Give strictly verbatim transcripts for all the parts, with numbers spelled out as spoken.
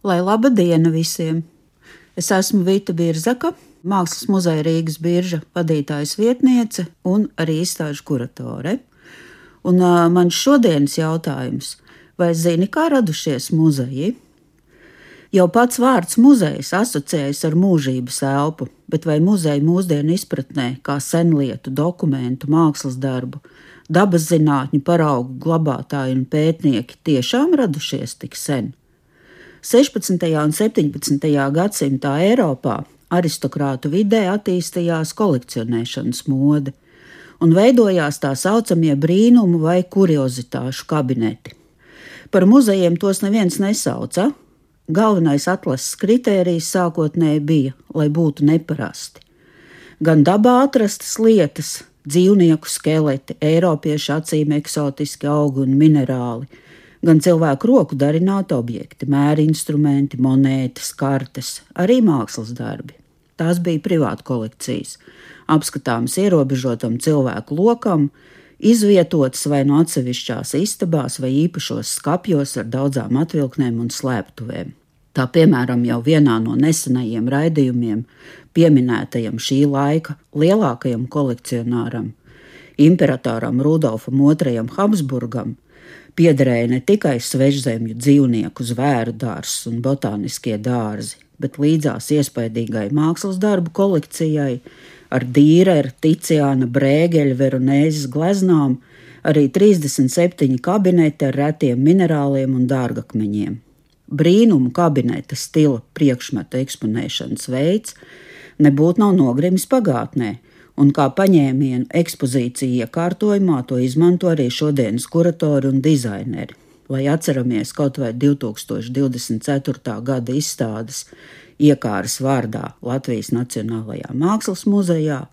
Lai laba diena visiem! Es esmu Vita Birzaka, Mākslas muzeja Rīgas birža vadītājas vietniece un arī izstāžu kuratore. Un uh, mans šodienas jautājums – vai zini, kā radušies muzeji? Jau pats vārds muzejs asociējas ar mūžības elpu, bet vai muzeja mūsdienu izpratnē kā senlietu, dokumentu, mākslas darbu, dabas zinātņu paraugu glabātāji un pētnieki tiešām radušies tik sen? sešpadsmitajā un septiņpadsmitajā gadsimtā Eiropā aristokrātu vidē attīstījās kolekcionēšanas mode un veidojās tā saucamie brīnumu vai kuriozitāšu kabineti. Par muzejiem tos neviens nesauca. Galvenais atlases kritērijs sākotnēji bija, lai būtu neparasti. Gan dabā atrastas lietas, dzīvnieku skeleti, eiropiešu acīm eksotiski augi un minerāli, gan cilvēku roku darināti objekti, mēri instrumenti, monētas, kartes, arī mākslas darbi. Tās bija privāta kolekcijas, apskatāmas ierobežotam cilvēku lokam, izvietotas vai no atsevišķās istabās vai īpašos skapjos ar daudzām atvilknēm un slēptuvēm. Tā piemēram jau vienā no nesenajiem raidījumiem pieminētajam šī laika lielākajam kolekcionāram, imperatoram Rudolfam otrajam Habsburgam, piederēja ne tikai svežzemju dzīvnieku, zvēru dārzs un botāniskie dārzi, bet līdzās iespaidīgai mākslas darbu kolekcijai ar Dīreru, Ticiāna, Brēgeļa, Veronēzes gleznām arī trīsdesmit septiņi kabineti ar retiem minerāliem un dārgakmeņiem. Brīnumu kabineta stila priekšmetu eksponēšanas veids nebūtu nav nogrimis pagātnē, un kā paņēmienu ekspozīciju iekārtojumā to izmanto arī šodienas kuratori un dizaineri. Lai atceramies kaut vai divtūkstoš divdesmit ceturtā gada izstādes Iekāras vārdā Latvijas Nacionālajā Mākslas muzejā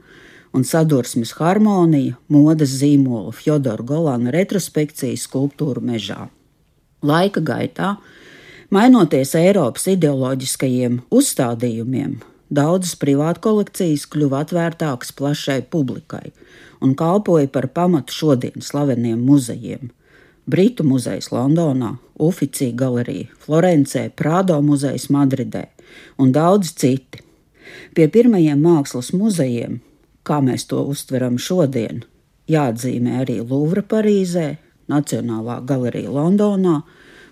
un sadursmes harmonija modes zīmola Fjodora Golana retrospekcija skulptūru mežā. Laika gaitā, mainoties Eiropas ideoloģiskajiem uzstādījumiem, daudzas privātu kolekcijas kļuva atvērtākas plašai publikai un kalpoja par pamatu šodien slaveniem muzejiem. Britu muzejs Londonā, Uffizi galerija Florencē, Prado muzejs Madridē un daudz citi. Pie pirmajiem mākslas muzejiem, kā mēs to uztveram šodien, jāatzīmē arī Luvra Parīzē, Nacionālā galerija Londonā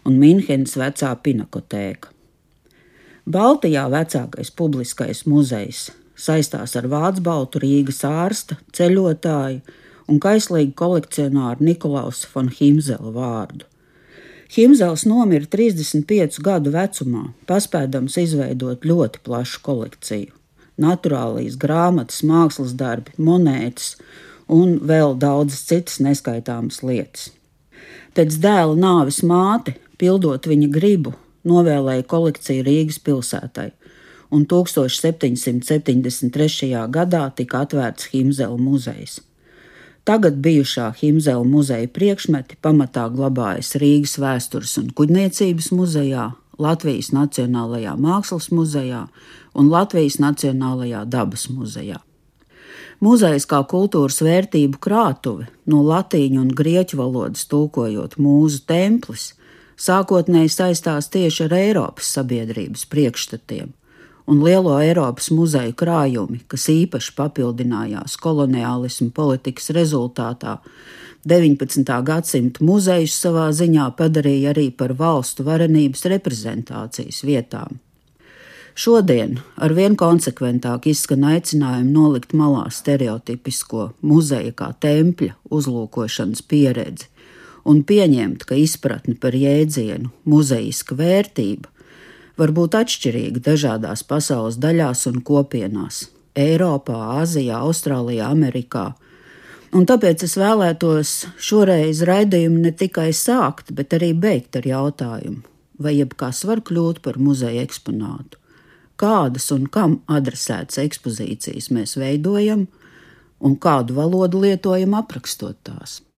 un Minhenes vecā pinakotēka. Baltijā vecākais publiskais muzejs saistās ar Vācbaltu Rīgas ārsta, ceļotāju un kaislīgu kolekcionāru Nikolausa von Himzela vārdu. Himzels nomira trīsdesmit piecu gadu vecumā, paspēdams izveidot ļoti plašu kolekciju. Naturālijas grāmatas, mākslas darbi, monētas un vēl daudzas citas neskaitāmas lietas. Pēc dēla nāves māte, pildot viņa gribu, novēlēja kolekciju Rīgas pilsētai, un tūkstoš septiņsimt septiņdesmit trešajā gadā tika atvērts Himzela muzejs. Tagad bijušā Himzela muzeja priekšmeti pamatā glabājas Rīgas vēstures un kuģniecības muzejā, Latvijas Nacionālajā Mākslas muzejā un Latvijas Nacionālajā dabas muzejā. Muzejs kā kultūras vērtību krātuve, no latīņu un grieķu valodas tulkojot mūzu templis, sākotnēji saistās tieši ar Eiropas sabiedrības priekšstatiem, un lielo Eiropas muzeju krājumi, kas īpaši papildinājās koloniālismu politikas rezultātā, deviņpadsmitā gadsimta muzejus savā ziņā padarīja arī par valstu varenības reprezentācijas vietām. Šodien arvien konsekventāk izskan aicinājumi nolikt malā stereotipisko muzeja kā tempļa uzlūkošanas pieredzi un pieņemt, ka izpratne par jēdzienu muzejiska vērtība var būt atšķirīga dažādās pasaules daļās un kopienās – Eiropā, Āzijā, Austrālijā, Amerikā. Un tāpēc es vēlētos šoreiz raidījumu ne tikai sākt, bet arī beigt ar jautājumu, vai jebkas var kļūt par muzeja eksponātu. Kādas un kam adresētas ekspozīcijas mēs veidojam un kādu valodu lietojam aprakstot tās.